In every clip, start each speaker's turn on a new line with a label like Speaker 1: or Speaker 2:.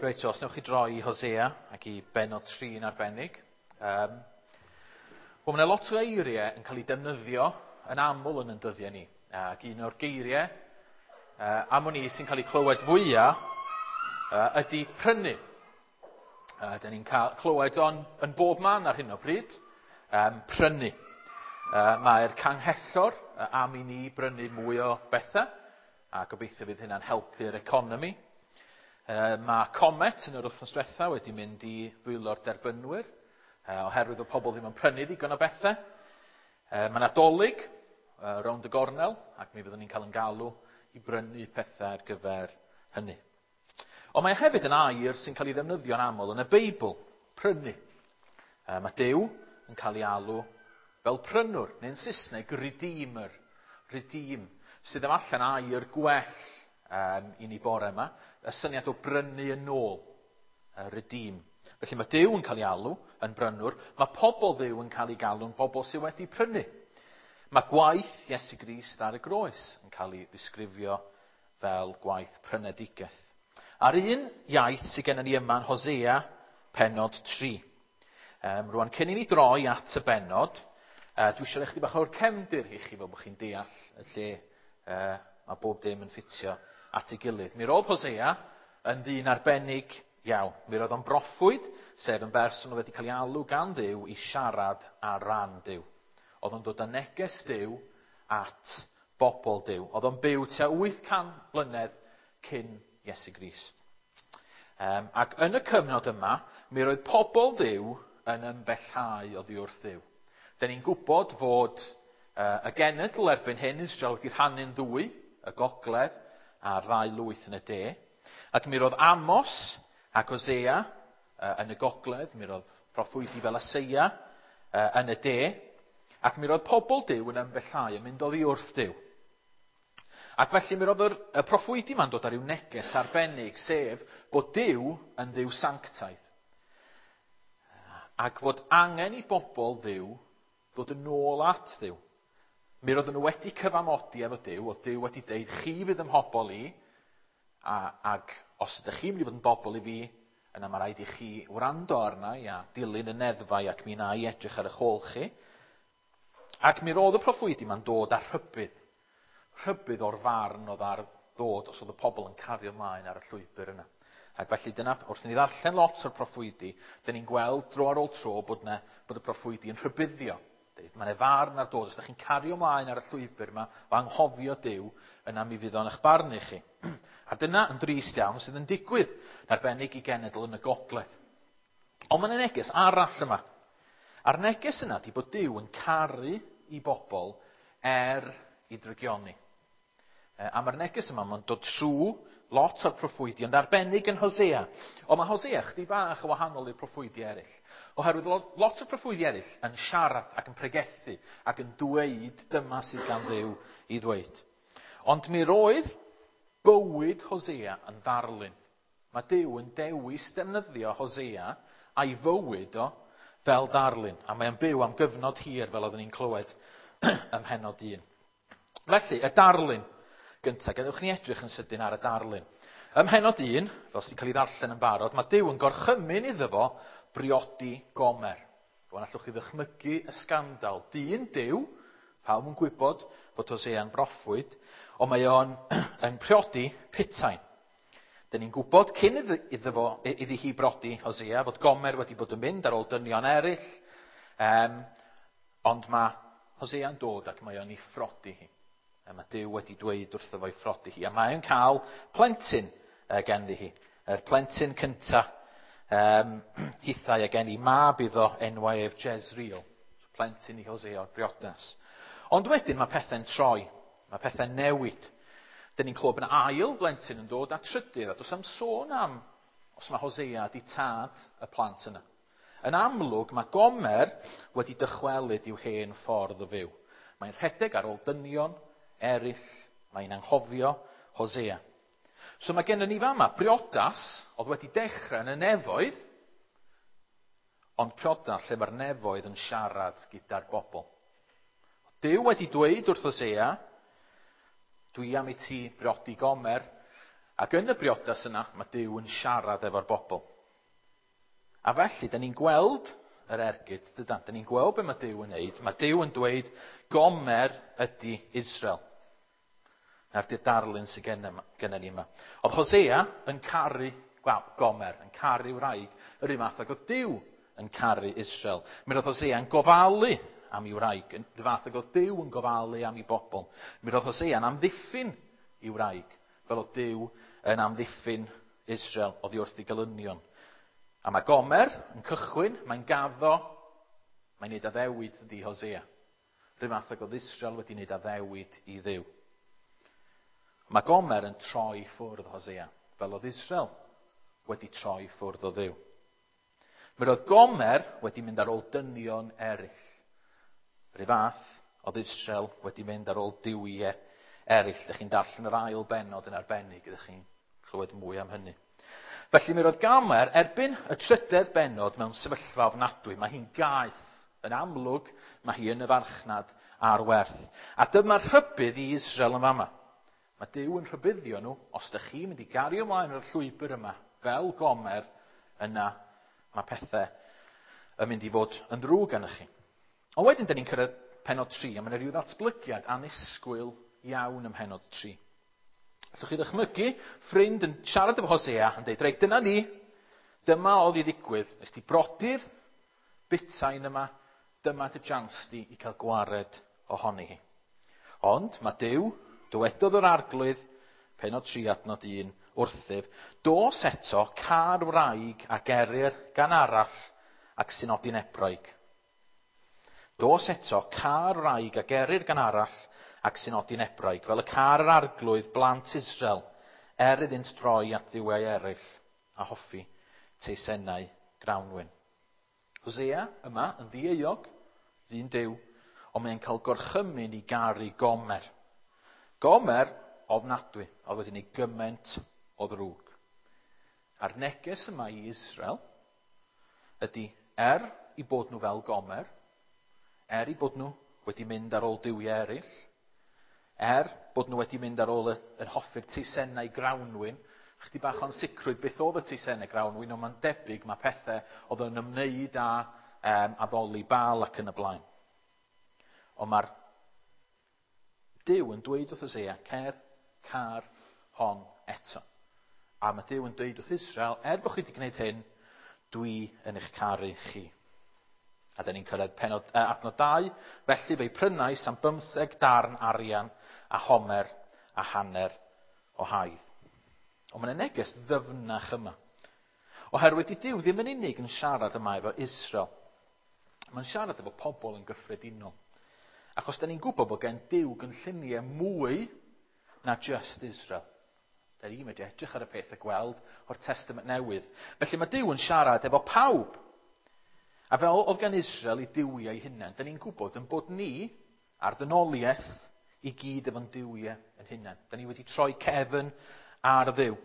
Speaker 1: Reit, os newch chi droi i Hosea ac i benod 3 yn arbennig. Wel, mae yna lot o eiriau yn cael eu defnyddio yn aml yn yn dyddiau ni. Ac un o'r geiriau am o'n i sy'n cael ei clywed fwyaf ydy prynu. Dyn ni'n cael clywed o'n yn bob man ar hyn o bryd. Prynu. Mae'r canghellor am i ni brynu mwy o bethau, a gobeithio fydd hynna'n helpu'r economi. Mae Comet yn yr wythnos diwetha wedi mynd i ddwylo'r derbynwyr, oherwydd o pobl ddim yn prynu ddigon o bethau. Mae Nadolig rownd y gornel, ac mi fyddwn ni'n cael yn galw i brynu pethau ar gyfer hynny. Ond mae hefyd yn air sy'n cael ei ddefnyddio'n aml yn y Beibl, prynu. Mae Duw yn cael ei alw fel prynwr, neu'n Saesneg, redeemer, redeem, sydd efallai'n air gwell i ni bore yma, y syniad o brynu yn ôl, redeem. Felly mae Duw yn cael ei alw yn brynwr, mae pobl Dduw yn cael ei galw'n bobl sydd wedi prynu. Mae gwaith Iesu Grist ar y groes yn cael ei ddisgrifio fel gwaith prynedigaeth. A'r un iaith sydd gennym ni yma yn Hosea, pennod 3. Rwan, cyn i ni droi at y bennod, dwi eisiau rhoi chydig bach o'r cefndir i chi fel bod chi'n deall y lle mae bob dim yn ffitio at ei gilydd. Mi roedd Hosea yn ddyn arbennig iawn. Mi roedd o'n broffwyd, sef yn berson oedd wedi cael ei alw gan Dduw i siarad ar ran Duw. Oedd o'n dod â neges Duw at bobl Duw. Oedd o'n byw tua 800 mlynedd cyn Iesu Grist. Ac yn y cyfnod yma, mi roedd pobl Dduw yn ymbellhau oddi wrth Dduw. Dyn ni'n gwybod fod y genedl erbyn hyn, Israel, wedi rhannu'n ddwy, y gogledd a'r ddau lwyth yn y de. Ac mi roedd Amos ac Hosea yn y gogledd, mi roedd proffwydi fel Aseia yn y de, ac mi roedd pobl Duw yn ymbellhau yn mynd oddi wrth Duw. Ac felly mi roedd y proffwydi yma'n dod ar ryw neges arbennig, sef bod Duw yn Dduw sanctaidd. Ac fod angen i bobl Dduw ddod yn ôl at Dduw. Mi roedden nhw wedi cyfamodi efo Duw, oedd Duw wedi deud, chi fydd ym mhobl i, ac os ydych chi'n mynd i fod yn bobl i fi, yna mae rhaid i chi wrando arna i a dilyn y neddfau ac mi wna i edrych ar eich ôl chi. Ac mi roedd y proffwydi yma'n dod â rhybudd. Rhybudd o'r farn oedd ar ddod os oedd y pobl yn cario ymlaen ar y llwybr yna. Ac felly dyna, wrth i ni ddarllen lot o'r proffwydi, dyn ni'n gweld dro ar ôl tro bod y proffwydi yn rhybuddio. Deud, mae yna farn ar dod, os ydych chi'n cario ymlaen ar y llwybr yma o anghofio Duw, yna mi fydd o'n eich barnu chi. A dyna yn drist iawn sydd yn digwydd, yn arbennig i genedl yn y gogledd. Ond mae yna neges arall yma. A'r neges yna ydy bod Duw yn caru i bobl er i drygioni. A mae'r neges yma, mae'n dod trwy lot o'r proffwydi, ond arbennig yn Hosea. Ond mae Hosea chydig bach yn wahanol i'r proffwydi eraill. Oherwydd lot o'r proffwydi eraill yn siarad ac yn pregethu ac yn dweud dyma sydd gan Dduw i ddweud. Ond mi roedd bywyd Hosea yn ddarlun. Mae Duw yn dewis defnyddio Hosea a'i fywyd o fel darlun. A mae'n byw am gyfnod hir fel oeddwn ni'n clywed ym mhennod 1. Felly, y darlun gyntaf, gadewch ni edrych yn sydyn ar y darlun. Ym mhennod 1, fel sy'n cael ei ddarllen yn barod, mae Duw yn gorchymyn iddo fo briodi Gomer. Rwan allwch chi ddychmygu y sgandal. Dyn Duw, pawb yn gwybod bod Hosea'n broffwyd, ond mae o'n yn priodi putain. Dyn ni'n gwybod cyn iddi hi brodi Hosea fod Gomer wedi bod yn mynd ar ôl dynion eraill, ond mae Hosea'n dod ac mae o'n ei phrodi hi. A mae Duw wedi dweud wrtho fo i phrodi hi. A mae o'n cael plentyn genddi hi. Yr plentyn cynta, hithau a gen i mab iddo enwau ef Jezreel. So, plentyn i Hosea o'r briodas. Ond wedyn mae pethau'n troi. Mae pethau'n newid. Dyn ni'n clywed bod yna ail blentyn yn dod a trydydd. A does am sôn am os mae Hosea di tad y plant yna. Yn amlwg, mae Gomer wedi dychwelyd i'w hen ffordd o fyw. Mae'n rhedeg ar ôl dynion eraill, mae'n anghofio Hosea. So mae gennym ni fama briodas oedd wedi dechrau yn y nefoedd, ond priodas lle mae'r nefoedd yn siarad gyda'r bobl. Duw wedi dweud wrth Hosea, dwi am i ti briodi Gomer, Ac yn y briodas yna, mae Duw yn siarad efo'r bobl. A felly, da ni'n gweld yr ergyd, dydan? Da ni'n gweld be mae Duw yn neud. Mae Duw yn dweud, Gomer ydy Israel. Na'r di'r darlun sydd gennym ni yma. Oedd Hosea yn caru Gomer, yn caru wraig, yr un fath ag oedd Duw yn caru Israel. Mi roedd Hosea yn gofalu am ei wraig, yn yr fath ag oedd Duw yn gofalu am ei bobl. Mi roedd Hosea'n amddiffyn ei wraig, fel oedd Duw yn amddiffyn Israel oddi wrth ei gelynion. A mae Gomer yn cychwyn, mae'n gaddo, mae'n neud addewid ydi Hosea. Rhyw fath ag oedd Israel wedi wneud addewid i Dduw. Mae Gomer yn troi ffwrdd Hosea, fel oedd Israel wedi troi ffwrdd o Dduw. Mi roedd Gomer wedi mynd ar ôl dynion eraill. Rhyw fath oedd Israel wedi mynd ar ôl duwiau eraill. Dych chi'n darllen yr ail bennod yn arbennig, ydych chi'n clywed mwy am hynny. Felly mi roedd Gomer erbyn y trydedd bennod mewn sefyllfa ofnadwy. Mae hi'n gaeth yn amlwg, mae hi yn y farchnad ar werth. A dyma'r rhybudd i Israel yn fama. Mae Duw yn rhybuddio nhw, os ydych chi'n mynd i gario ymlaen ar y llwybr yma, fel Gomer, yna mae pethau yn mynd i fod yn ddrwg arnoch chi. Ond wedyn, dyn ni'n cyrraedd pennod 3, a mae yna rhyw ddatblygiad annisgwyl iawn ym mhennod 3. Allwch chi ddychmygu ffrind yn siarad efo Hosea yn dweud, reit, dyna ni, dyma oedd i ddigwydd, nes ti brodi'r butain yma, dyma dy jans di i cael gwared ohoni hi. Ond mae Duw, dywedodd yr arglwydd, pennod 3 adnod 1, wrthyf, dos eto car wraig a gerir gan arall ac sy'n nodi'n ebraig. Dos eto car wraig a gerir gan arall ac sy'n nodi'n ebraig, fel y car yr arglwydd blant Israel, er iddynt droi at dduwiau eraill a hoffi teisennau grawnwin. Hosea yma yn ddieuog, ddyn Duw, ond mae'n cael gorchymyn i garu Gomer. Gomer ofnadwy, oedd wedi gwneud gymaint o ddrwg. A'r neges yma i Israel ydy, er i bod nhw fel Gomer, er i bod nhw wedi mynd ar ôl duwiau eraill, er bod nhw wedi mynd ar ôl yn hoffi'r teisennau grawnwin, chydig bach o'n sicrwydd beth oedd y teisennau grawnwin, ond mae'n debyg mae pethau oedd yn ymwneud â addoli Baal ac yn y blaen. Ond mae'r Duw yn dweud wrth Hosea, cer, car hon eto. A mae Duw yn dweud wrth Israel, er bod chi wedi gwneud hyn, dwi yn eich caru chi. A da ni'n cyrraedd pennod, adnod 2, felly fe'i prynais am 15 darn arian a homer a hanner o haidd. Ond mae'n neges ddyfnach yma. Oherwydd di Duw ddim yn unig yn siarad yma efo Israel. Mae'n siarad efo pobl yn gyffredinol. Achos da ni'n gwybod bod gen Duw gynlluniau mwy na just Israel. Da ni'n medru edrych ar y peth a gweld o'r Testament Newydd. Felly mae Duw yn siarad efo pawb. A fel oedd gan Israel i duwiau hunain, da ni'n gwybod yn bod ni a'r ddynoliaeth i gyd efo'n duwiau yn hunain. Da ni wedi troi cefn ar Dduw.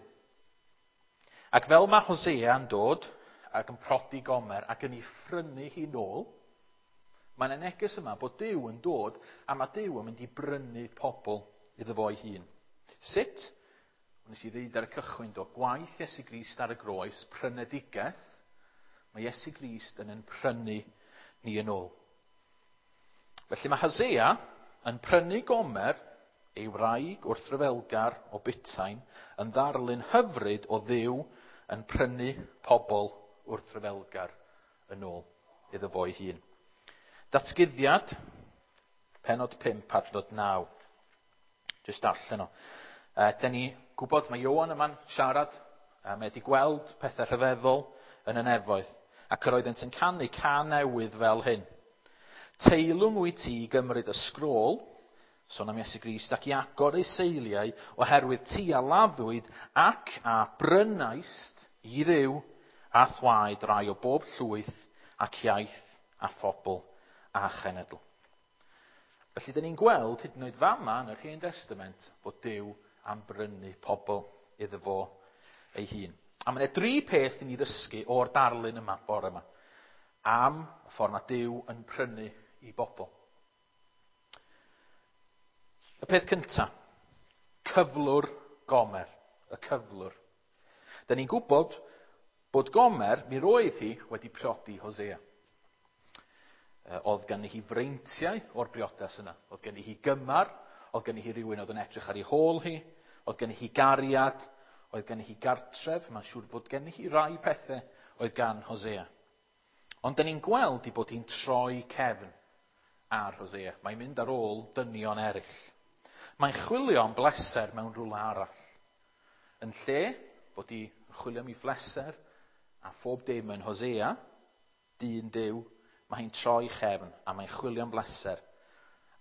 Speaker 1: Ac fel mae Hosea yn dod ac yn prodi Gomer ac yn ei phrynu hi nôl, mae'n y neges yma bod Duw yn dod a mae Duw yn mynd i brynu pobl iddo fo ei hun. Sut? Nes i ddeud ar y cychwyn do, gwaith Iesu Grist ar y groes, prynedigaeth, mae Iesu Grist yn prynu ni yn ôl. Felly mae Hosea yn prynu Gomer, ei wraig wrthryfelgar o Butain, yn ddarlun hyfryd o Dduw yn prynu pobl wrthryfelgar yn ôl iddo fo ei hun. Datguddiad, pennod 5, adnod 9. Jyst darllen o. Da ni gwybod mae Ioan yma'n siarad, a mae wedi gweld pethau rhyfeddol yn y nefoedd, ac yr oeddent yn canu cân newydd fel hyn. Teilwng wyt ti i gymryd y sgrôl, sôn am Iesu Grist, ac i agor ei seiliau, oherwydd ti a laddwyd ac a brynaist i Dduw a thwaed rai o bob llwyth ac iaith a phobl a chenedl. Felly, dyn ni'n gweld hyd yn oed fama yn yr Hen Testament bod Duw am brynu pobl iddo fo ei hun. A mae yna dri peth i ni ddysgu o'r darlun yma, bore yma, am y ffordd mae Duw yn prynu i bobl. Y peth cyntaf, cyflwr Gomer. y cyflwr. Da ni'n gwybod bod Gomer, mi roedd hi wedi priodi Hosea. Oedd gen hi freintiau o'r briodas yna. Oedd gen hi gymar, oedd gen hi rhywun oedd yn edrych ar ei hôl hi, oedd gen hi gariad, oedd gen hi gartref, mae'n siŵr fod gen hi rai pethau oedd gan Hosea. Ond da ni'n gweld ei bod hi'n troi cefn ar Hosea. Mae'n mynd ar ôl dynion eraill. Mae'n chwilio am bleser mewn rhywle arall. Yn lle bod hi'n chwilio am ei phleser a phob dim yn Hosea, dyn Duw, mae hi'n troi chefn a mae'n chwilio am bleser.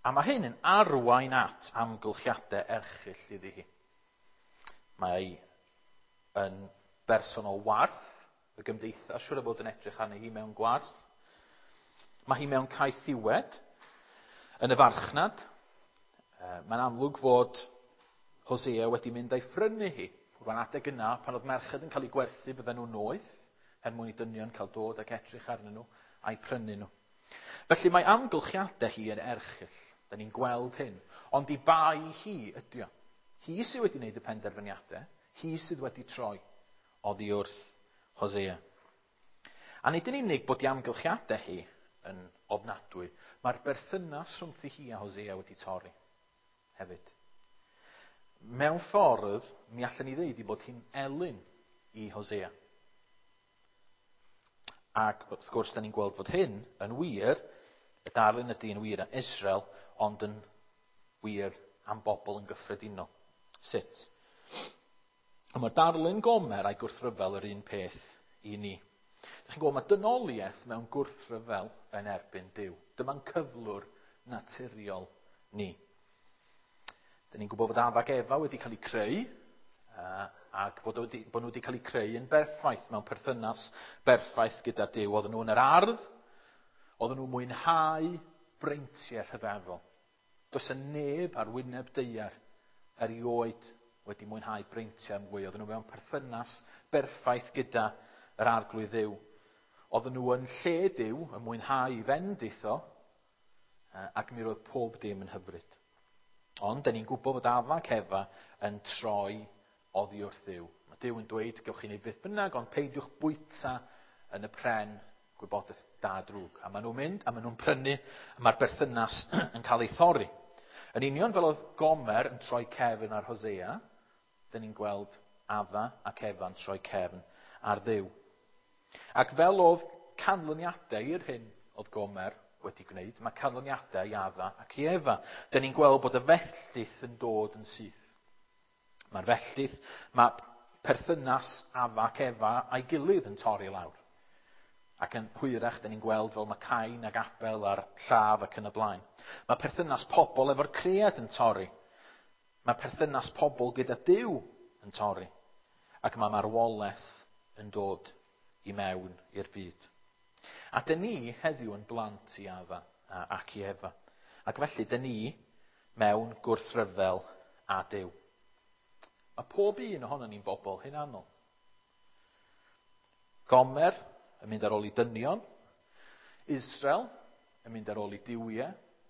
Speaker 1: A mae hyn yn arwain at amgylchiadau erchyll iddi hi. Mae yn berson o warth, y gymdeithas siŵr o fod yn edrych arni hi mewn gwarth. Mae hi mewn caethiwed yn y farchnad. Mae'n amlwg fod Hosea wedi mynd a'i phrynu hi. Rwan adeg yna, pan oedd merched yn cael eu gwerthu, bydden nhw'n noeth, er mwyn i dynion cael dod ac edrych arnyn nhw a'i prynu nhw. Felly mae amgylchiadau hi yn erchyll. Da ni'n gweld hyn. Ond i bai hi ydy o. Hi sydd wedi gwneud y penderfyniadau. Hi sydd wedi troi oddi wrth Hosea. A nid yn unig bod i amgylchiadau hi yn ofnadwy, mae'r berthynas rhwngthi hi a Hosea wedi torri hefyd. Mewn ffordd, mi allan ni ddeud i bod hi'n elyn i Hosea. Ac wrth gwrs, da ni'n gweld fod hyn yn wir, y darlun ydy yn wir am Israel, ond yn wir am bobl yn gyffredinol. Sut? Ond mae'r darlun Gomer a'i gwrthryfel yr un peth i ni. Dych chi'n gweld, mae dynoliaeth mewn gwrthryfel yn erbyn Duw. Dyma'n cyflwr naturiol ni. Dyn ni'n gwybod fod Adda ac Efa wedi cael eu creu, ac fod bod nhw wedi cael eu creu yn berffaith, mewn perthynas berffaith gyda Duw. Oedden nhw yn yr ardd, oedden nhw'n mwynhau breintiau rhyfeddol. Does y neb ar wyneb daear erioed wedi mwynhau breintiau mwy. Oedden nhw mewn perthynas berffaith gyda yr Arglwydd Dduw. Oedden nhw yn lle Duw, yn mwynhau fendith o, ac mi roedd pob dim yn hyfryd. Ond, da ni'n gwybod fod Adda ac Efa yn troi oddi wrth Dduw. Mae Duw yn dweud, gewch chi wneud beth bynnag, ond peidiwch bwyta yn y pren gwybodaeth da drwg. A maen nhw'n mynd, a maen nhw'n prynu, a mae'r berthynas yn cael ei thorri. Yn union fel oedd Gomer yn troi cefn ar Hosea, dyn ni'n gweld Adda ac Efa'n troi cefn ar Dduw. Ac fel oedd canlyniadau i'r hyn oedd Gomer wedi gwneud, mae canlyniadau i Adda ac i Efa. Dyn ni'n gweld bod y fellyth yn dod yn syth. Mae'r fellyth, mae perthynas Adda ac Efa a'i gilydd yn torri lawr. Ac yn hwyrach, dyn ni'n gweld fel mae Cain ac Abel a'r lladd ac yn y blaen. Mae perthynas pobl efo'r cread yn torri. Mae perthynas pobl gyda Duw yn torri. Ac mae marwolaeth yn dod i mewn i'r byd. A dyn ni heddiw yn blant i Adda ac i Efa. Ac felly dyn ni mewn gwrthryfel a Duw. Mae pob un ohonon ni'n bobl hunanol. Gomer yn mynd ar ôl i dynion. Israel yn mynd ar ôl i duwiau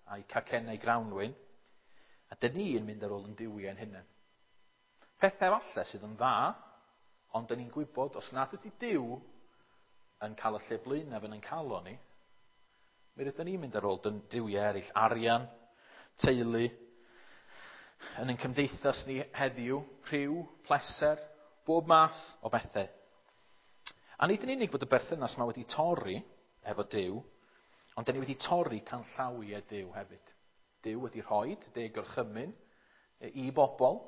Speaker 1: a'i cacennau grawnwin. A dyn ni yn mynd ar ôl yn duwiau yn hunain. Pethau falle sydd yn dda, ond dyn ni'n gwybod os nad ydy Duw yn cael y lle blaenaf yn ein calon ni, mi rydyn ni'n mynd ar ôl duwiau eraill, arian, teulu, yn ein cymdeithas ni heddiw, rhyw, pleser, bob math o bethau. A nid yn unig fod y berthynas yma wedi torri efo Duw, ond dyn ni wedi torri canllawiau Duw hefyd. Duw wedi rhoi 10 gorchymyn i bobl,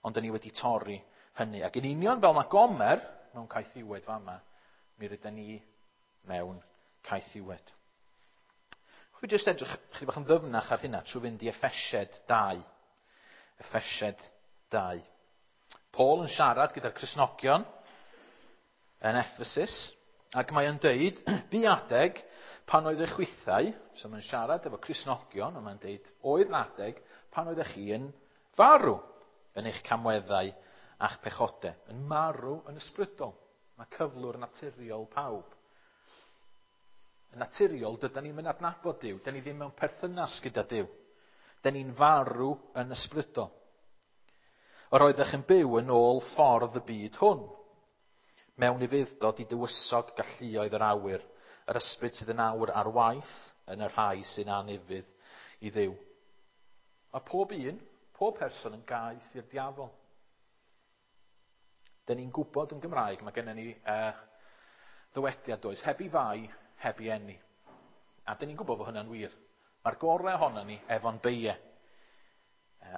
Speaker 1: ond dyn ni wedi torri hynny. Ac yn union fel mae Gomer mewn caethiwed fama, mi rydyn ni mewn caethiwed. Chwi jyst edrych chydig bach yn ddyfnach ar hynna trwy fynd i Effesiaid 2. Effesiaid 2. Paul yn siarad gyda'r Cristnogion yn Ephesus, ac mae o'n deud, bu adeg pan oedd eich chwithau, so mae'n siarad efo Cristnogion, ond mae'n deud, oedd adeg pan oeddech chi yn farw yn eich camweddau a'ch pechodau, yn marw yn ysbrydol. Mae cyflwr naturiol pawb. Yn naturiol, dydan ni'm yn adnabod Duw. Dyn ni ddim mewn perthynas gyda Duw. Dyn ni'n farw yn ysbrydol. Yr oeddech yn byw yn ôl ffordd y byd hwn, mewn ufudd-dod i dywysog galluoedd yr awyr, yr ysbryd sydd yn awr ar waith yn y rhai sy'n anufudd i Dduw. Mae pob un, pob person yn gaeth i'r diafol. Dyn ni'n gwybod yn Gymraeg, mae gennym ni ddywediad does, heb i fai, heb i eni. A dyn ni'n gwybod fod hynna'n wir. Mae'r gorau ohono ni efo'n beie.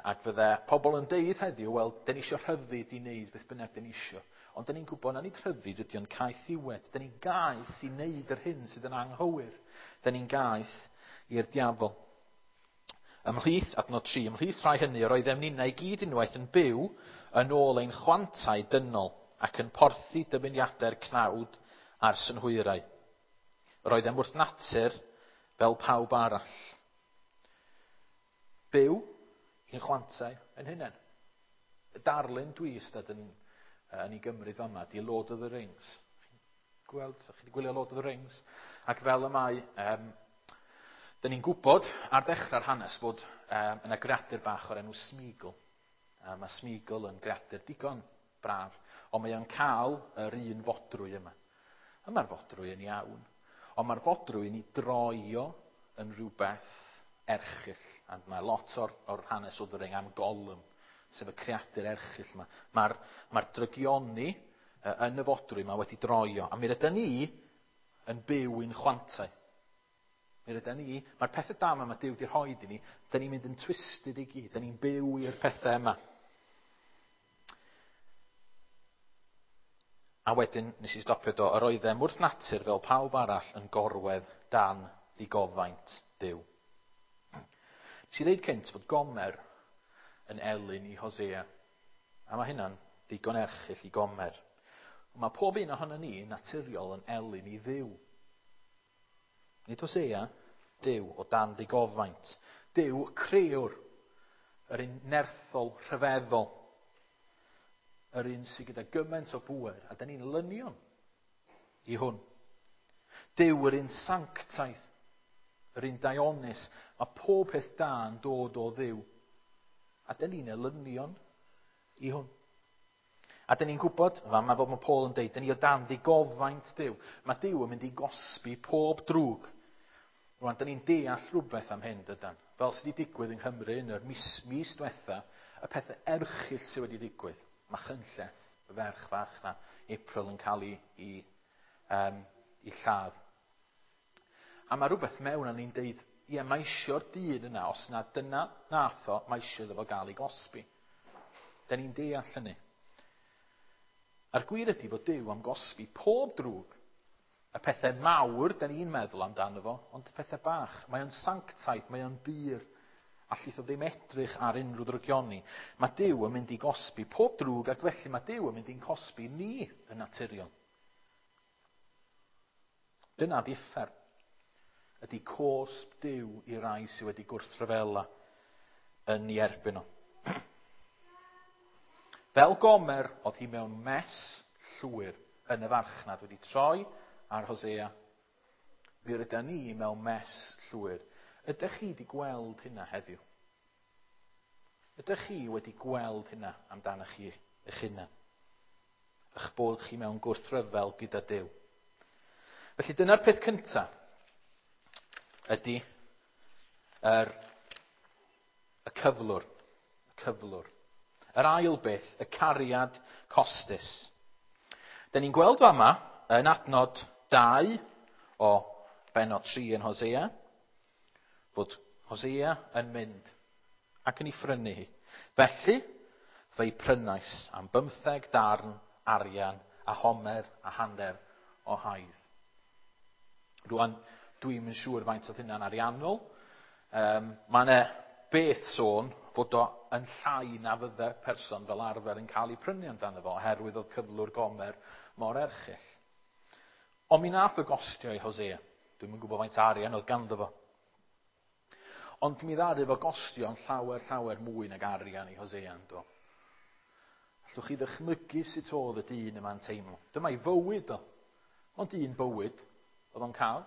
Speaker 1: Ac fydde pobl yn deud heddiw, wel, dyn ni eisiau rhyddid i wneud beth bynnag dyn ni eisiau. Ond dyn ni'n gwybod na nid rhyddid ydy o'n caethiwed. Dyn ni'n gaeth i wneud yr hyn sydd yn anghywir. Dyn ni'n gaeth i'r diafol. Ymhlith, adnod 3, ymhlith rhai hynny yr oeddem ninnau i gyd unwaith yn byw yn ôl ein chwantau dynol ac yn porthi dymuniadau'r cnawd a'r synhwyrau. Yr oeddem wrth natur fel pawb arall. Byw i'n chwantau yn hunain. Y darlun dwi ystod yn ei gymryd fama, di Lord of the Rings. Gweld, chi wedi gwylio Lord of the Rings? Ac fel y mae, dyn ni'n gwybod ar ddechrau'r hanes fod yna greadur bach o'r enw Smeagol. A mae Smeagol yn greadur digon braf, ond mae o'n cael yr un fodrwy yma. A mae'r fodrwy yn iawn, ond mae'r fodrwy yn ei droio yn rhywbeth erchyll. A mae lot o'r hanes o The Ring am Gollum, sef y creadur erchyll yma. Mae'r drygioni yn y fodrwy yma wedi droio. A mi rydyn ni yn byw i'n chwantau. Mi rydyn ni, mae'r pethau da yma mae Duw wedi rhoi i ni, dyn ni'n mynd yn twisted i gyd, dyn ni'n byw i'r pethau yma. A wedyn, nes i stopio do, yr oeddem wrth natur fel pawb arall yn gorwedd dan ddigofaint Duw. Nes i ddeud cynt fod Gomer yn elyn i Hosea. A mae hynna'n ddigon erchyll i Gomer. Ond mae pob un ohono ni naturiol yn elyn i Dduw. Nid Hosea, Duw o dan ddigofaint. Duw crëwr, yr un nerthol rhyfeddol, yr un sydd gyda gymaint o bŵer, a dyn ni'n lynion i hwn. Duw yr un sanctaidd, yr un daionus, mae pob peth da yn dod o Dduw, a dyn ni'n elynion i hwn. A dyn ni'n gwybod, fama fel mae Paul yn deud, dyn ni o dan ddigofaint Duw. Mae Duw yn mynd i gosbi pob drwg. Rwan, dyn ni'n deall rhywbeth am hyn, dydan. Fel sydd wedi digwydd yng Nghymru yn yr mis diwetha, y pethau erchyll sydd wedi digwydd. Mae Chynlleth, y ferch fach na, April, yn cael ei lladd. A mae rhywbeth mewn a ni'n deud, ie, mae eisiau'r dyn yna, os na dyna nath o, mae eisiau iddo fo gael ei gosbi. Dyn ni'n deall hynny. A'r gwir ydy fod Duw am gosbi pob drwg. Y pethau mawr, dyn ni'n meddwl amdano fo, ond y pethau bach. Mae o'n sanctaidd, mae o'n bur. Allith o ddim edrych ar unrhyw ddrygioni. Mae Duw yn mynd i gosbi pob drwg, ac felly mae Duw yn mynd i'n cosbi ni yn naturiol. Dyna di uffern. Ydy cosb Duw i rai sydd wedi gwrthryfela yn ei erbyn o. Fel Gomer, oedd hi mewn mes llwyr yn y farchnad wedi troi ar Hosea. Mi rydyn ni mewn mes llwyr. Ydych chi wedi gweld hynna heddiw? Ydych chi wedi gweld hynna amdano chi eich hunan? Eich bod chi mewn gwrthryfel gyda Duw. Felly dyna'r peth cyntaf ydy y cyflwr. Y cyflwr. Yr ail beth, y cariad costus. Dyn ni'n gweld fama yn adnod 2 o bennod 3 yn Hosea, fod Hosea yn mynd ac yn ei phrynu hi. Felly, fe'i prynais am 15 darn arian a homer a hanner o haidd. Rwan, dwi'm yn siŵr faint oedd hynna'n ariannol. Mae yna beth sôn fod o yn llai na fydde person fel arfer yn cael ei prynu amdano fo, oherwydd oedd cyflwr Gomer mor erchyll. Ond mi nath o gostio i Hosea. Dwi'm yn gwybod faint arian oedd ganddo fo. Ond mi ddaru fo gostio yn llawer, llawer mwy nag arian i Hosea, ynddo. Allwch chi ddychmygu sut oedd y dyn yma'n teimlo. Dyma'i fywyd o. Ond un bywyd oedd o'n cael.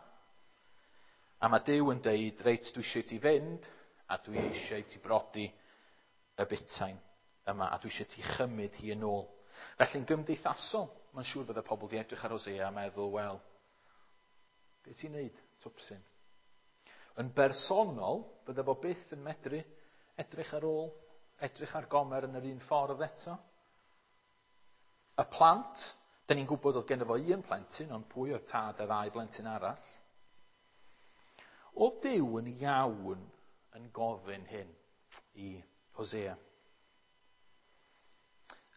Speaker 1: A mae Duw yn deud, reit, dwi eisiau ti fynd, a dwi eisiau ti brodi y butain. yma, a dwi eisiau ti chymryd hi yn ôl. Felly'n gymdeithasol, mae'n siŵr fydde pobl di edrych ar Hosea a meddwl, wel, be ti'n neud, twpsyn? Yn bersonol, bydde fo byth yn medru edrych ar ôl, edrych ar Gomer yn yr un ffordd eto. Y plant, da ni'n gwybod oedd genno fo un plentyn, ond pwy oedd tad y ddau blentyn arall? Oedd Duw yn iawn yn gofyn hyn i Hosea?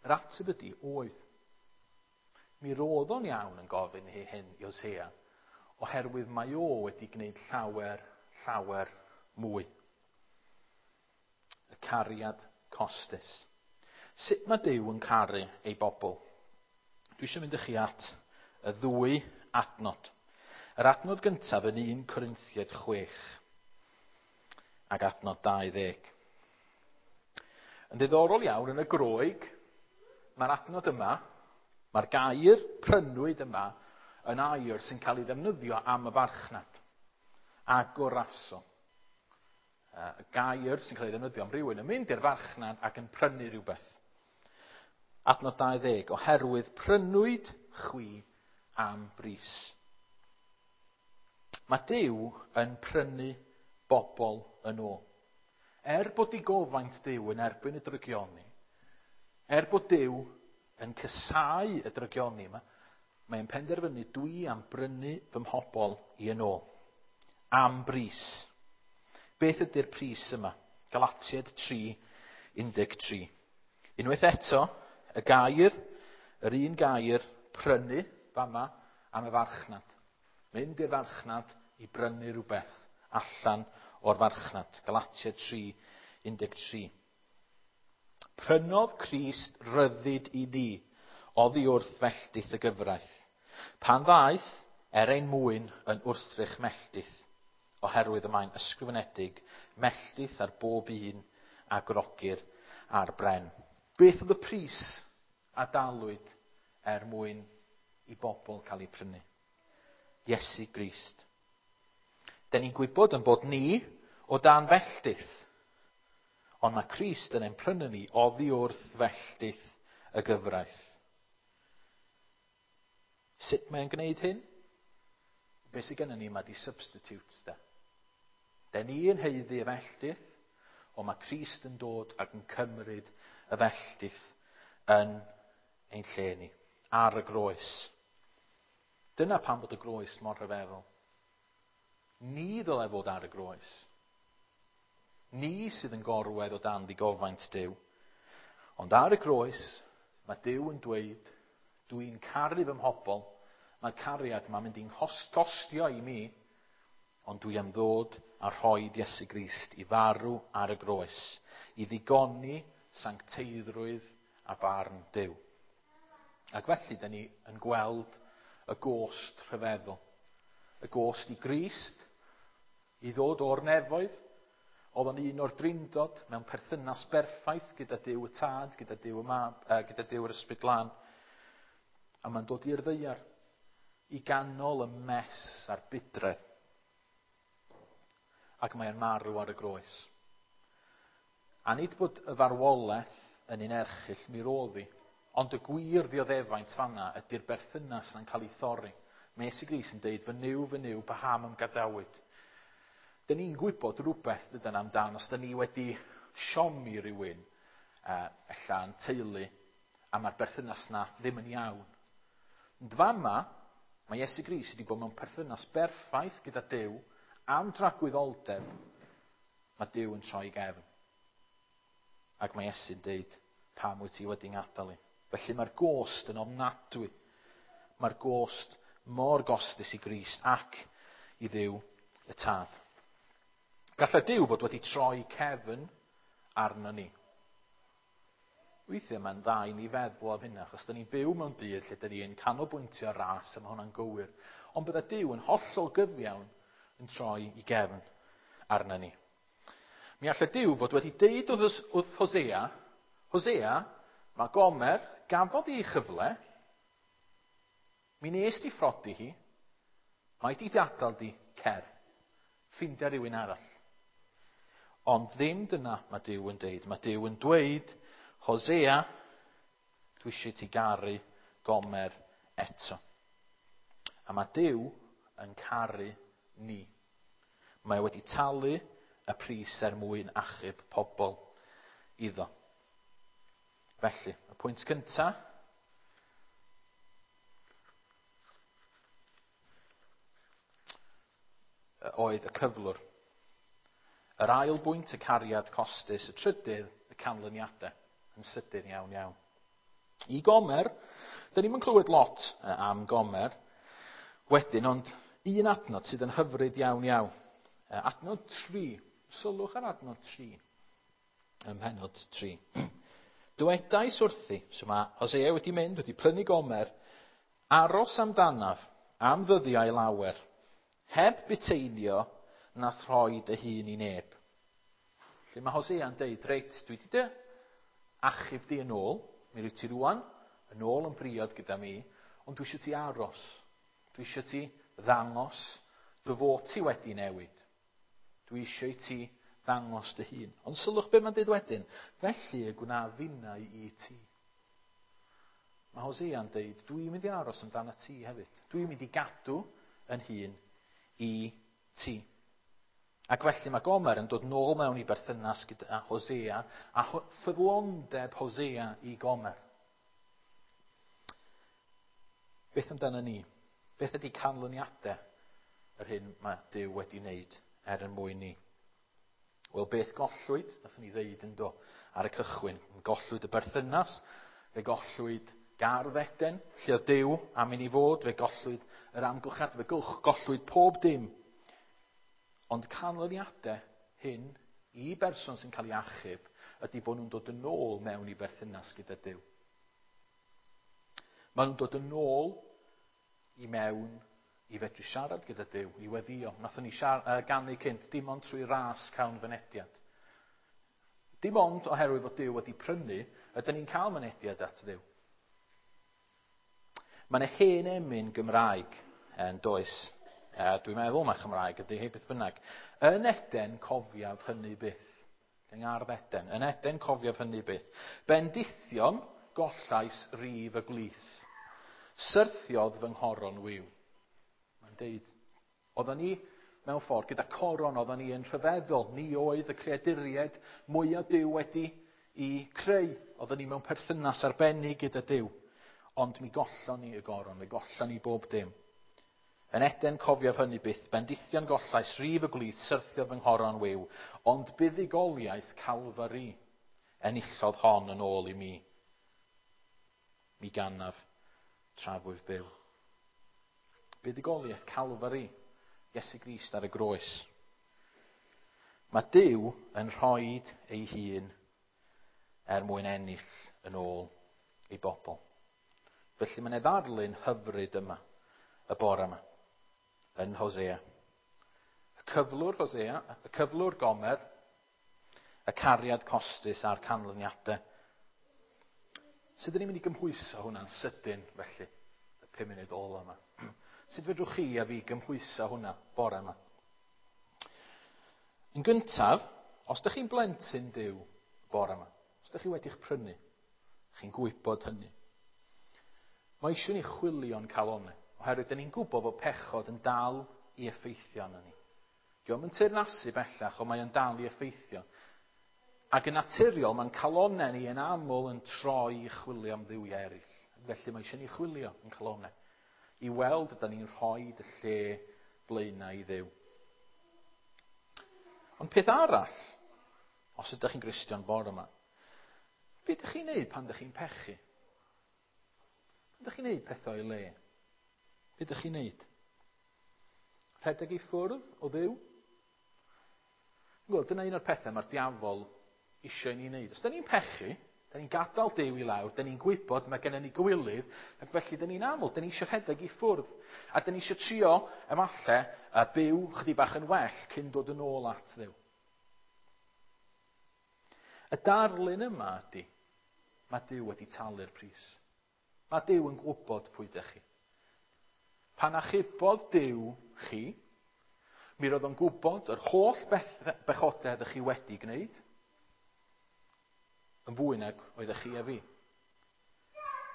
Speaker 1: Yr ateb ydy, oedd. Mi roedd o'n iawn yn gofyn hyn i Hosea, oherwydd mae o wedi gwneud llawer, llawer mwy. Y cariad costus. Sut mae Duw yn caru ei bobl? Dwi eisiau mynd â chi at y ddwy adnod. Yr adnod gyntaf yn 1 Corinthiaid 6 ac adnod 20. Yn ddiddorol iawn, yn y Groeg, mae'r adnod yma, mae'r gair prynwyd yma yn air sy'n cael ei ddefnyddio am y farchnad. Agoraso. Y gair sy'n cael ei ddefnyddio am rhywun yn mynd i'r farchnad ac yn prynu rhywbeth. Adnod 20, oherwydd prynwyd chwi am bris. Mae Duw yn prynu bobl yn ôl. Er bod digofaint Duw yn erbyn y drygioni, er bod Duw yn casáu y drygioni yma, mae'n penderfynu dwi am brynu fy mhobl i yn ôl. Am bris. Beth ydy'r pris yma? Galatiaid 3:13. Unwaith eto, y gair, yr un gair, prynu, fama, am y farchnad. Mynd i'r farchnad i brynu rhywbeth allan o'r farchnad. Galatiaid 3:13. Prynodd Crist ryddid i ni oddi wrth felldith y gyfraith. Pan ddaeth, er ein mwyn yn wrthrych melltith, oherwydd y mae'n ysgrifenedig melltith ar bob un a grogir ar bren. Beth oedd y pris a dalwyd er mwyn i bobl cael eu prynu? Iesu Grist. Da ni'n gwybod yn bod ni o dan felltith, ond mae Crist yn ein prynu ni oddi wrth felltith y gyfraith. Sut mae'n gwneud hyn? Be sydd gennym ni yma di substitutes, de. Da ni yn haeddu y felltith, ond mae Crist yn dod ac yn cymryd y felltith yn ein lle ni, ar y groes. Dyna pam bod y groes mor rhyfeddol. Ni ddylai fod ar y groes. Ni sydd yn gorwedd o dan ddigofaint Duw. Ond ar y groes, mae Duw yn dweud, dwi'n caru fy mhobl, mae'r cariad yma'n mynd i'n costio i mi, ond dwi am ddod a rhoi Iesu Grist i farw ar y groes, i ddigoni sancteiddrwydd a barn Duw. Ac felly, da ni yn gweld y gost rhyfeddol. Y gost i Grist, i ddod o'r nefoedd, oedd o'n un o'r drindod mewn perthynas berffaith gyda Duw y Tad, gyda Duw y Mab, gyda Duw yr Ysbryd Glân. A mae'n dod i'r ddaear, i ganol y mess a'r budredd. Ac mae'n marw ar y groes. A nid bod y farwolaeth yn un erchyll mi roedd hi, ond y gwir ddioddefaint fanna ydy'r berthynas na'n cael ei thorri. Mae Iesu Grist yn deud, fy Nuw, fy Nuw, paham a'm gadawyd. Da ni'n gwybod rhywbeth dydan amdan, os da ni wedi siomi rhywun, ella yn teulu, a mae'r berthynas na ddim yn iawn. Ond fama, mae Iesu Grist wedi bod mewn perthynas berffaith gyda Duw, am dragwyddoldeb, mae Duw yn troi gefn. Ac mae Iesu'n deud, pam wyt ti wedi ngadael i? Felly mae'r gost yn ofnadwy. Mae'r gost mor gostus i Grist ac i Dduw y Tad. Gallai Duw fod wedi troi cefn arno ni. Weithiau mae'n dda i ni feddwl am hynna, achos da ni'n byw mewn byd lle da ni'n canolbwyntio ar ras, a mae hwnna'n gywir. Ond bydda Duw yn hollol gyfiawn yn troi i gefn arno ni. Mi allai Duw fod wedi deud wrth Hosea, Hosea, mae Gomer gafodd ei chyfle, mi nes di phrodi hi, mae di gadael di, cer, ffindia rhywun arall. Ond ddim dyna mae Duw yn deud. Mae Duw yn dweud, Hosea, dwi eisiau ti garu Gomer eto. A mae Duw yn caru ni. Mae wedi talu y pris er mwyn achub pobl iddo. Felly, y pwynt cyntaf, oedd y cyflwr. Yr ail bwynt, y cariad costus. Y trydydd, y canlyniadau. Yn sydyn iawn iawn. I Gomer, dyn ni'm yn clywed lot am Gomer wedyn, ond un adnod sydd yn hyfryd iawn iawn. Adnod 3. Sylwch ar adnod 3. Ym mhennod 3. Dywedais wrthi, so mae Hosea wedi mynd, wedi prynu Gomer, aros amdanaf am ddyddiau lawer, heb buteinio na throi dy hun i neb. Lle mae Hosea'n deud, reit, dwi wedi dy achub di yn ôl, mi rwyt ti rwan yn ôl yn briod gyda mi, ond dwi eisiau ti aros. Dwi eisiau ti ddangos dy fod ti wedi newid. Dwi eisiau i ti ddangos dy hun. Ond sylwch be mae'n dweud wedyn, felly y gwna finnau i ti. Mae Hosea'n deud, dwi'n mynd i aros amdano ti hefyd. Dwi'n mynd i gadw yn hun i ti. Ac felly mae Gomer yn dod nôl mewn i berthynas gyda Hosea a ffyddlondeb Hosea i Gomer. Beth amdano ni? Beth ydy canlyniadau yr hyn mae Duw wedi wneud er yn mwyn ni? Wel, beth gollwyd? Nathon ni ddeud yn do ar y cychwyn. Gollwyd y berthynas, fe gollwyd gardd Eden, lle oedd Duw am i ni fod, fe gollwyd yr amgylchiad, fe gollwyd pob dim. Ond canlyniadau hyn i berson sy'n cael ei achub ydy bod nhw'n dod yn ôl mewn i berthynas gyda Duw. Maen nhw'n dod yn ôl i mewn i fedru siarad gyda Duw, i weddio. Nathon ni ganu cynt, dim ond trwy ras cawn fynediad. Dim ond oherwydd fod Duw wedi prynu, ydyn ni'n cael mynediad at Dduw. Mae yna hen emyn Gymraeg yn does. Dwi'n meddwl mae Chymraeg ydy hi, beth bynnag. Yn Eden cofiaf hynny byth. Yng Ngardd Eden. Yn Eden cofiaf hynny byth. Bendithion gollais rif y gwlith. Syrthiodd fy nghoron wiw. Mae'n deud, oedden ni mewn ffordd gyda coron, oedden ni yn rhyfeddol. Ni oedd y creaduriaid mwyaf Duw wedi i creu. Oedden ni mewn perthynas arbennig gyda Duw. Ond mi gollon ni y goron, mi gollon ni bob dim. Yn Eden cofiaf hynny byth, bendithion gollais, rif y gwlith, syrthiodd fy nghoron wiw, ond buddugoliaeth Calfari enillodd hon yn ôl i mi. Mi ganaf trafwyf byw. Buddugoliaeth Calfari, Iesu Grist ar y groes. Mae Duw yn rhoi ei hun er mwyn ennill yn ôl ei bobl. Felly mae'n ddarlun hyfryd yma, y bore yma, yn Hosea. Y cyflwr Hosea, y cyflwr Gomer, y cariad costus a'r canlyniadau. Sut ydyn ni'n mynd i gymhwyso hwnna'n sydyn, felly, y 5 munud ola yma? Sut fedrwch chi a fi gymhwyso hwnna bore yma? Yn gyntaf, os ydych chi'n blentyn Duw bore yma, os ydych chi wedi'ch prynu, chi'n gwybod hynny. Mae eisiau ni chwilio'n calonnau, oherwydd dyn ni'n gwybod bod pechod yn dal i effeithio arno ni. Dio'm yn teyrnasu bellach, ond mae o'n dal i effeithio. Ac yn naturiol, mae'n calonnau ni yn aml yn troi i chwilio am dduwiau eraill. Felly mae eisiau ni chwilio yn calonnau, i weld ydyn ni'n rhoi y lle blaenau i Dduw. Ond peth arall, os ydych chi'n Gristion bore yma, be ydych chi'n neud pan ydych chi'n pechu? Pan ydych chi'n neud pethau o'i le? Be ydych chi'n neud? Rhedeg i ffwrdd o Dduw? Wel, dyna un o'r pethau mae'r diafol eisiau i ni wneud. Os da ni'n pechu, da ni'n gadael Duw i lawr, da ni'n gwybod mae gennym ni gywilydd, ac felly da ni'n aml, da ni eisiau rhedeg i ffwrdd. A da ni eisiau trio, efallai, a byw chydig bach yn well cyn dod yn ôl at Dduw. Y darlun yma ydy, mae Duw wedi talu'r pris. Mae Duw yn gwybod pwy ydych chi. Pan achubodd Duw chi, mi roedd o'n gwybod yr holl bechodau ydych chi wedi gwneud, Yn fwy nag oeddech chi a fi.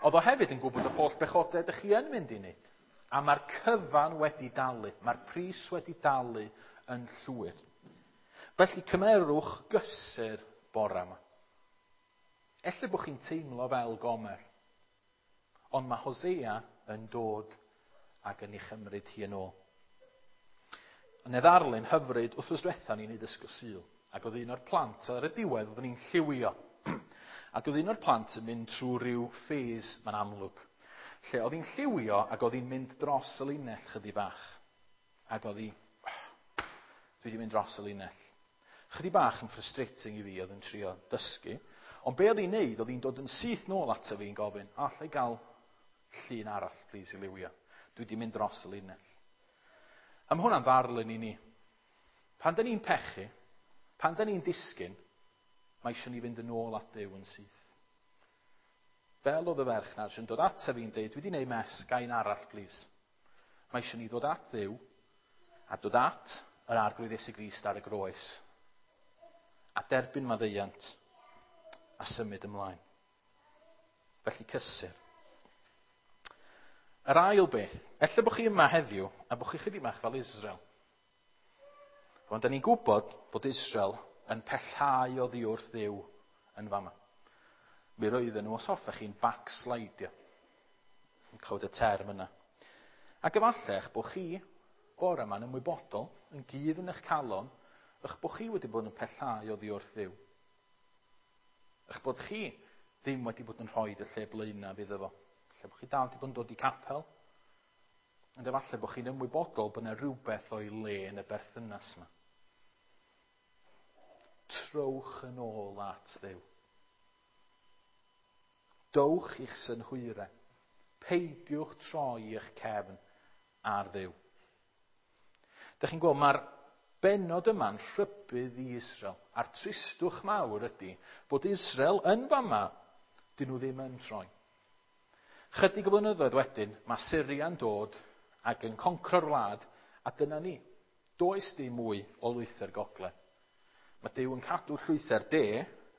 Speaker 1: Oedd o hefyd yn gwybod y holl bechodau ydych chi yn mynd i wneud. A mae'r cyfan wedi dalu. Mae'r pris wedi dalu yn llwyr. Felly cymerwch gysur bore yma. Ella bod chi'n teimlo fel Gomer. Ond mae Hosea yn dod ac yn ei chymryd hi yn ôl. Yn y ddarlun hyfryd, wythnos diwetha ni'n neud ysgol Sul. Ac oedd un o'r plant, ar y diwedd, oeddwn ni'n lliwio. Ac oedd un o'r plant yn mynd trwy rhyw phase, mae'n amlwg. Lle oedd hi'n lliwio ac oedd hi'n mynd dros y linell chydig bach. Ac oedd hi, oh, dwi wedi mynd dros y linell. Chydig bach yn frustrating i fi oedd yn trio dysgu. Ond be oedd hi'n neud, oedd hi'n dod yn syth nôl ato fi yn gofyn, alla i gael llun arall, please, i liwio. Dwi wedi mynd dros y linell. A mae hwnna'n ddarlun i ni. Pan da ni'n pechu, pan da ni'n disgyn, mae eisiau ni fynd yn ôl at Dduw yn syth. Fel oedd y ferch na, sy'n dod at fi'n deud, dwi wedi gwneud mess, gain arall, please. Mae eisiau ni ddod at Dduw a dod at yr Arglwydd Iesu Grist ar y groes a derbyn maddeuant a symud ymlaen. Felly cysur. Yr ail beth, ella bod chi yma heddiw a bod chi chydig bach fel Israel. Ond da ni'n gwybod fod Israel yn pellhau oddi wrth Dduw yn fama. Mi roedden nhw, os hoffech chi'n backslidio. Yn clywed y term yna. Ac efallai eich bod chi bore yma'n ymwybodol, yn gudd yn eich calon, eich bod chi wedi bod yn pellhau oddi wrth Dduw. Eich bod chi ddim wedi bod yn rhoi y lle blaenaf iddo fo. Lle bod chi dal wedi bod yn dod i capel. Ond efallai bod chi'n ymwybodol bod yna rhywbeth o'i le yn y berthynas yma. Trowch yn ôl at Dduw. Dowch i'ch synhwyrau. Peidiwch troi eich cefn ar Dduw. Dych chi'n gweld, mae'r bennod yma'n rhybudd i Israel. A'r tristwch mawr ydy bod Israel yn fama, dyn nhw ddim yn troi. Chydig o flynyddoedd wedyn, mae Syria'n dod ac yn concro'r wlad, a dyna ni. Does dim mwy o lwythau'r gogledd. Mae Duw yn cadw llwythau'r de,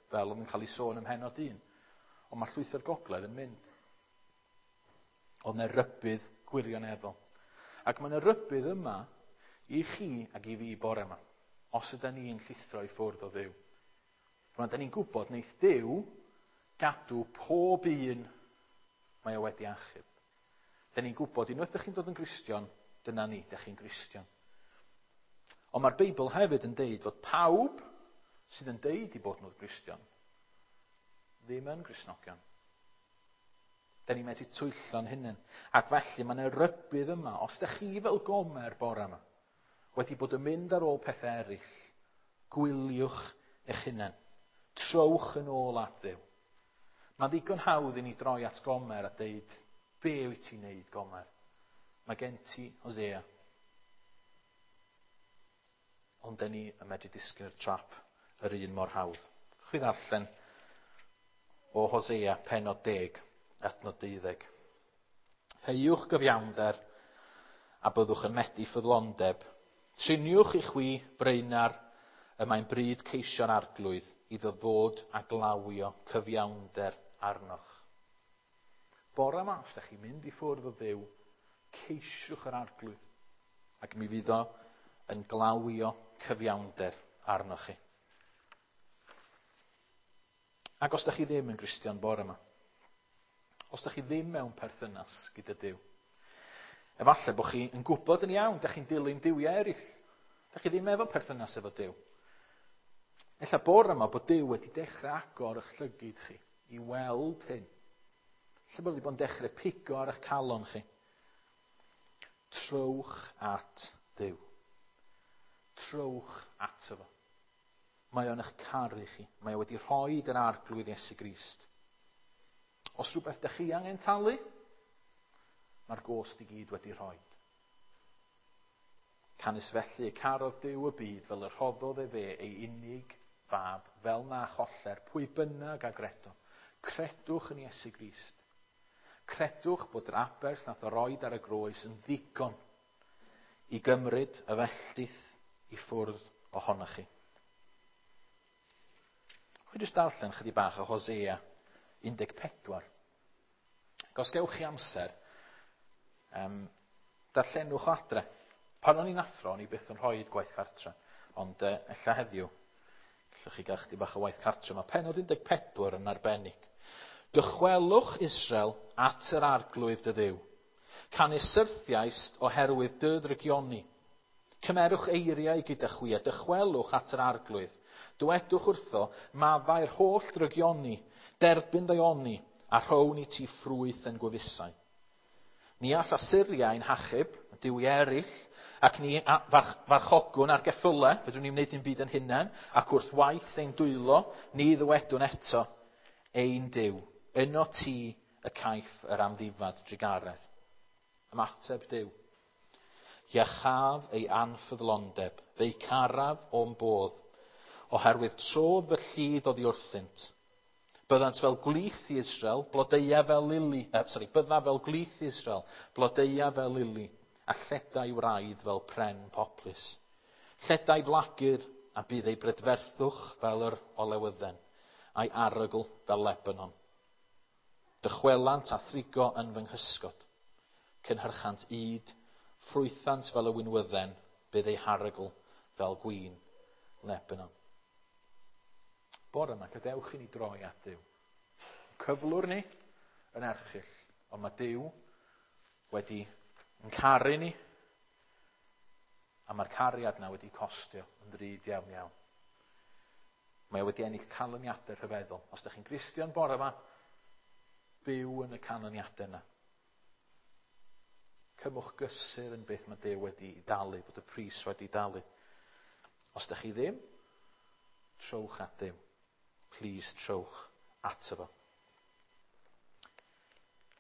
Speaker 1: fel oedd yn cael ei sôn ym mhennod 1, ond mae llwythau'r gogledd yn mynd. Oedd yna rybudd gwirioneddol. Ac mae yna rybudd yma i chi ac i fi bore yma, os ydyn ni'n llithro i ffwrdd o Dduw. Rwan, da ni'n gwybod wneith Duw gadw pob un mae o wedi achub. Da ni'n gwybod, unwaith ydych chi'n dod yn Gristion, dyna ni, ydych chi'n Gristion. Ond mae'r Beibl hefyd yn deud fod pawb sydd yn deud i bod nhw'n Gristion ddim yn Gristnogion. Da ni'n medru twyllo'n hunain. Ac felly mae yna rybudd yma, os ydych chi fel Gomer bore yma, wedi bod yn mynd ar ôl pethau eraill, gwyliwch eich hunain. Trowch yn ôl at Dduw. Mae'n ddigon hawdd i ni droi at Gomer a deud, be wyt ti'n neud, Gomer? Mae gen ti Hosea. Ond dyn ni yn medru disgyn i'r trap yr un mor hawdd. Chwi ddarllen o Hosea pennod 10, adnod 12. Heuwch gyfiawnder a byddwch yn medi ffyddlondeb. Triniwch i chwi breunar y mae'n bryd ceisio'r arglwydd iddo ddod a glawio cyfiawnder arnoch. Bore yma, os ydych chi'n mynd i ffwrdd o Dduw, ceisiwch yr arglwydd, ac mi fydd o yn glawio cyfiawnder arnoch chi. Ac os ydych chi ddim yn Gristion bore yma, os ydych chi ddim mewn perthynas gyda Duw, efallai bod chi yn gwybod yn iawn, ydych chi'n dilyn duwiau eraill. Ydych chi ddim efo perthynas efo Duw. Ella bore yma bod Duw wedi dechrau agor eich llygid chi i weld hyn. Ella bod wedi bod yn dechrau pigo ar eich calon chi. Trowch at Dduw. Trowch ato fo. Mae o'n eich caru chi. Mae o wedi rhoi yr arglwydd Iesu Grist. Os rhywbeth ydych chi angen talu, mae'r gost i gyd wedi rhoi. Canys felly y carodd Duw y byd fel y rhoddodd efe ei unig fab, fel na choller pwy bynnag a gredo. Credwch yn Iesu Grist. Credwch bod yr aberth nath o roed ar y groes yn ddigon i gymryd y felltith i ffwrdd ohonoch chi. Chwi jyst darllen chydig bach o Hosea 14. Ac os gewch chi amser, darllenwch o adre. Pan o'n i'n athro, o'n i byth yn rhoi gwaith cartre. Ond ella heddiw, gallwch chi gael chydig bach o waith cartre. Mae pennod 14 yn arbennig. Dychwelwch Israel at yr arglwydd dy Dduw. Canys syrthiaist oherwydd dy ddrygioni. Cymerwch eiriau gyda chwi a dychwelwch at yr arglwydd. Dywedwch wrtho, maddau'r holl ddrygioni, derbyn ddaioni, a rhown i ti ffrwyth yn gwefusau. Ni all Asyria ein hachub, y duwiau eraill, ac ni farchogwn ar geffylau, fedrwn ni wneud dim byd yn hunain, ac wrth waith ein dwylo, ni ddywedwn eto, ein Duw, yno ti y caiff yr amddifad drugaredd. Ymateb Duw. Iachaf ei anffyddlondeb, fe'i caraf o'm bodd, oherwydd trodd fy llid oddi wrthynt. Byddant fel gwlith i Israel, blodeua fel lili, sorry, bydda fel gwlith i Israel, blodeua fel lili, a lledai wraidd fel pren poplys. Lledai flagur, a bydd ei brydferthwch fel yr olewydden, a'i arogl fel Lebanon. Dychwelant a thrigo yn fy nghysgod. Cynhyrchant ŷd, ffrwythant fel y winwydden, bydd ei harogl fel gwin Lebanon. Bore yma, gadewch i ni droi at Dduw. Cyflwr ni yn erchyll, ond mae Duw wedi yn caru ni, a mae'r cariad yna wedi costio yn ddrud iawn iawn. Mae o wedi ennill canlyniadau rhyfeddol. Os ydych chi'n Gristion bore yma, byw yn y canlyniadau yna. Cymwch gysur yn beth mae Duw wedi dalu, fod y pris wedi dalu. Os ydych chi ddim, trowch at Dduw. Please, trowch ato fo.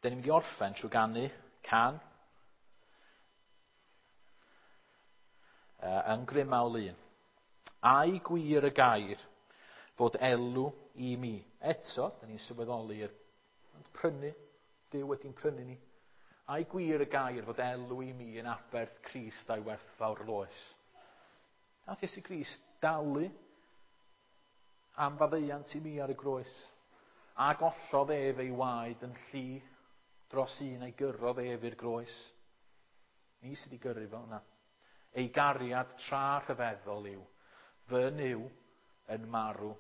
Speaker 1: Dyn ni'n mynd i orffen trwy ganu can yn Grymawl 1. Ai gwir y gair fod elw i mi. Eto, dyn ni'n sylweddoli yr prynu, Duw wedi'n prynu ni. Ai gwir y gair fod elw i mi yn aberth Crist a'i werthfawr loes. Nath Iesu Grist dalu am faddeuant i mi ar y groes. A gollodd ef ei waed yn lli dros un a'i gyrrodd ef i'r groes. Ni sydd wedi gyrru fo yna. Ei gariad tra rhyfeddol yw, fy Nuw yn marw